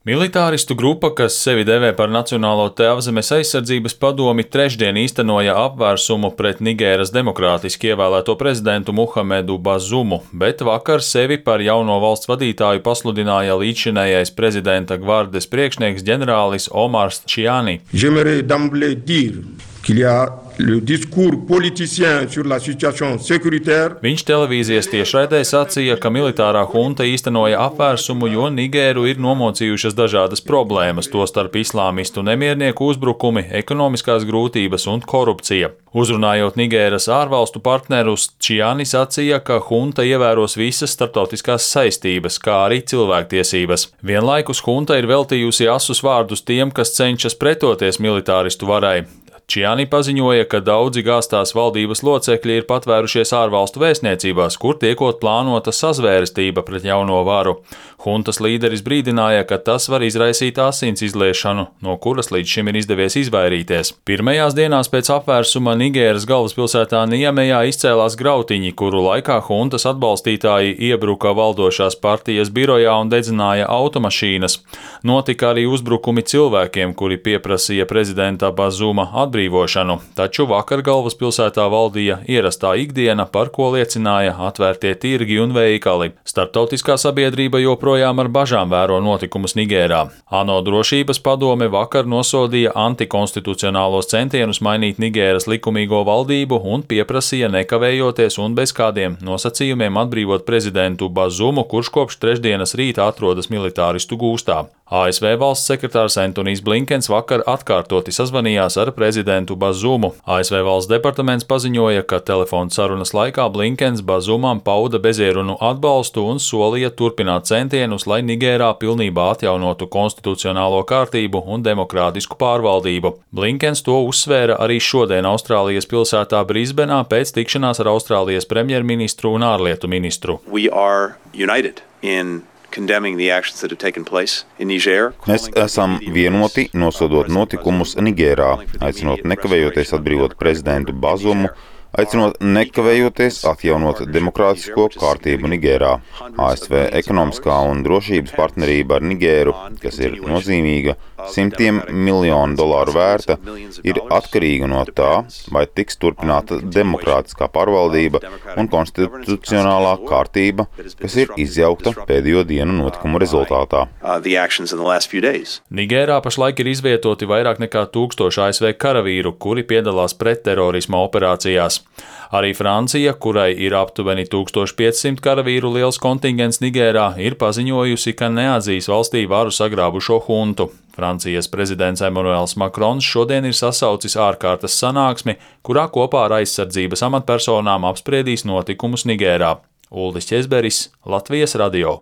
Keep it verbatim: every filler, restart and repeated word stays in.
Militāristu grupa, kas sevi devē par Nacionālo Tēvzemes aizsardzības padomi, trešdien īstenoja apvērsumu pret Nigēras demokrātiski ievēlēto prezidentu Muhamedu Bazumu, bet vakar sevi par jauno valsts vadītāju pasludināja līdzšinējais prezidenta gvardes priekšnieks ģenerālis Omars Tchiani. Viņš televīzijas tiešraidē sacīja, ka militārā hunta īstenoja apvērsumu, jo Nigēru ir nomocījušas dažādas problēmas, tostarp islāmistu nemiernieku uzbrukumi, ekonomiskās grūtības un korupcija. Uzrunājot Nigēras ārvalstu partnerus, Tchiani sacīja, ka hunta ievēros visas starptautiskās saistības, kā arī cilvēktiesības. Vienlaikus hunta ir veltījusi asus vārdus tiem, kas cenšas pretoties militāristu varai. Tchiani paziņoja, ka daudzi gāztās valdības locekļi ir patvērušies ārvalstu vēstniecībās, kur tiekot plānota sazvērestība pret jauno varu. Huntas līderis brīdināja, ka tas var izraisīt asins izliešanu, no kuras līdz šim ir izdevies izvairīties. Pirmajās dienās pēc apvērsuma Nigēras galvaspilsētā Niamejā izcēlās grautiņi, kuru laikā huntas atbalstītāji iebruka valdošās partijas birojā un dedzināja automašīnas. Notika arī uzbrukumi cilvēkiem, kuri pieprasīja prezidenta Bazuma atbrīvošanu, taču vakar galvaspilsētā valdīja ierastā ikdiena, par ko liecināja atvērtie tirgi un veikali. Starptautiskā sabiedrība joprojām ar bažām vēro notikumus Nigērā. ANO drošības padome vakar nosodīja antikonstitucionālos centienus mainīt Nigēras likumīgo valdību un pieprasīja nekavējoties un bez kādiem nosacījumiem atbrīvot prezidentu Bazumu, kurš kopš trešdienas rīta atrodas militāristu gūstā. A S V valsts sekretārs Antonijs Blinkens vakar atkārtoti sazvanījās ar prezidentu Bazumu. A S V valsts departaments paziņoja, ka telefona sarunas laikā Blinkens Bazumam pauda bezierunu atbalstu un solīja turpināt centienus, lai Nigērā pilnībā atjaunotu konstitucionālo kārtību un demokrātisku pārvaldību. Blinkens to uzsvēra arī šodien Austrālijas pilsētā Brisbenā pēc tikšanās ar Austrālijas premjerministru un ārlietu ministru. We are united in Mēs esam vienoti nosodot notikumus Nigērā, aicinot nekavējoties atbrīvot prezidentu Bazumu, aicinot nekavējoties atjaunot demokrātisko kārtību Nigērā. A S V ekonomiskā un drošības partnerība ar Nigēru, kas ir nozīmīga, simtiem miljonu dolāru vērta, ir atkarīga no tā, vai tiks turpināta demokrātiskā pārvaldība un konstitucionālā kārtība, kas ir izjaukta pēdējo dienu notikumu rezultātā. Nigērā pašlaik ir izvietoti vairāk nekā tūkstoši A S V karavīru, kuri piedalās pretterorisma operācijās. Arī Francija, kurai ir aptuveni tūkstoš piecsimt karavīru liels kontingents Nigērā, ir paziņojusi, ka neatzīs valstī varu sagrābušo huntu. Francijas prezidents Emmanuels Macrons šodien ir sasaucis ārkārtas sanāksmi, kurā kopā ar aizsardzības amatpersonām apspriedīs notikumus Nigērā. Uldis Ķezberis, Latvijas radio.